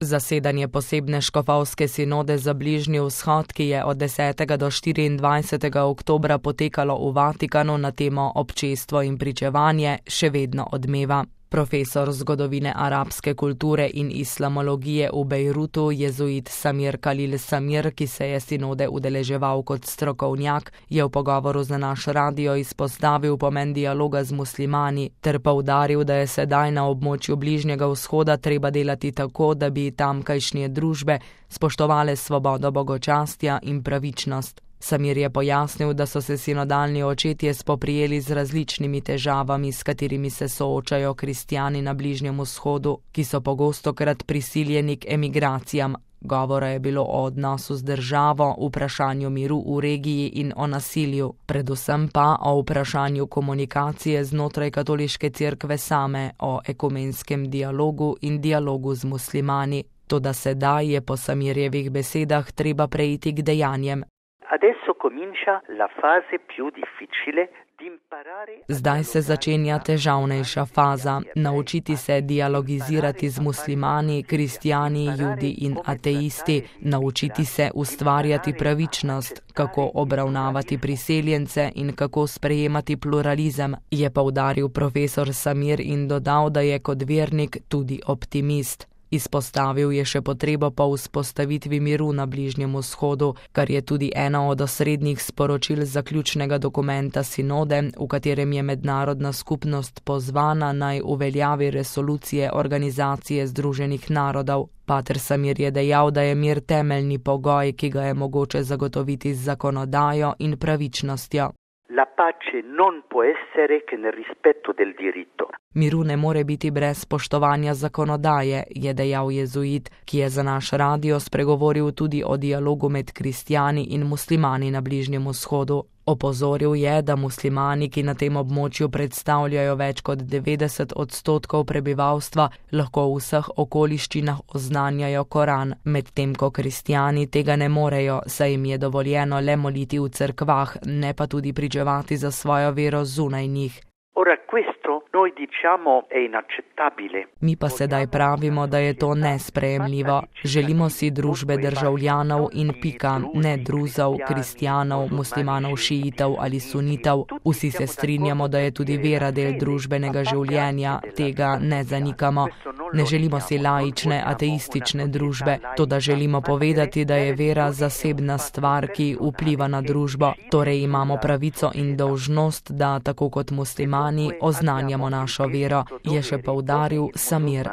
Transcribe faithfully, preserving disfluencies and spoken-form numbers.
Zasedanje posebne škofovske sinode za Bližnji vzhod, ki je od desetega do štiriindvajsetega oktobra potekalo v Vatikanu na temo občestvo in pričevanje, še vedno odmeva. Profesor zgodovine arabske kulture in islamologije v Bejrutu, jezuit Samir Khalil Samir, ki se je sinode udeleževal kot strokovnjak, je v pogovoru za naš radio izpostavil pomen dialoga z muslimani ter poudaril, da je sedaj na območju Bližnjega vzhoda treba delati tako, da bi tamkajšnje družbe spoštovale svobodo bogočastja in pravičnost. Samir je pojasnil, da so se sinodalni očetje spoprijeli z različnimi težavami, s katerimi se soočajo kristjani na Bližnjem vzhodu, ki so pogostokrat prisiljeni k emigracijam. Govora je bilo o odnosu z državo, vprašanju miru v regiji in o nasilju, predvsem pa o vprašanju komunikacije znotraj katoliške cerkve same, o ekumenskem dialogu in dialogu z muslimani. Toda sedaj je po Samirjevih besedah treba preiti k dejanjem. Zdaj se začenja težavnejša faza, naučiti se dialogizirati z muslimani, kristjani, judi in ateisti, naučiti se ustvarjati pravičnost, kako obravnavati priseljence in kako sprejemati pluralizem, je poudaril profesor Samir in dodal, da je kot vernik tudi optimist. Izpostavil je še potrebo po vzpostavitvi miru na Bližnjem vzhodu, kar je tudi eno od osrednjih sporočil zaključnega dokumenta sinode, v katerem je mednarodna skupnost pozvana naj uveljavi resolucije Organizacije združenih narodov. Pater Samir je dejal, da je mir temeljni pogoj, ki ga je mogoče zagotoviti z zakonodajo in pravičnostjo. La pace non può essere che nel rispetto del diritto. Miru ne more biti brez spoštovanja zakonodaje, je dejal jezuit, ki je za naš radio spregovoril tudi o dialogu med kristjani in muslimani na Bližnjem vzhodu. Opozoril je, da muslimani, ki na tem območju predstavljajo več kot devetdeset odstotkov prebivalstva, lahko v vseh okoliščinah oznanjajo Koran, medtem ko kristjani tega ne morejo, saj jim je dovoljeno le moliti v cerkvah, ne pa tudi pričevati za svojo vero zunaj njih. Ora questo noi diciamo è inaccettabile. Mi pa sedaj pravimo, da je to nesprejemljivo. Želimo si družbe državljanov in pika, ne druzov, kristjanov, muslimanov, šiitov ali sunitov. Vsi se strinjamo, da je tudi vera del družbenega življenja, tega ne zanikamo. Ne želimo si laične, ateistične družbe, toda želimo povedati, da je vera zasebna stvar, ki vpliva na družbo. Torej imamo pravico in dolžnost, da tako kot muslimani oznanjamo našo vero, je še poudaril Samir.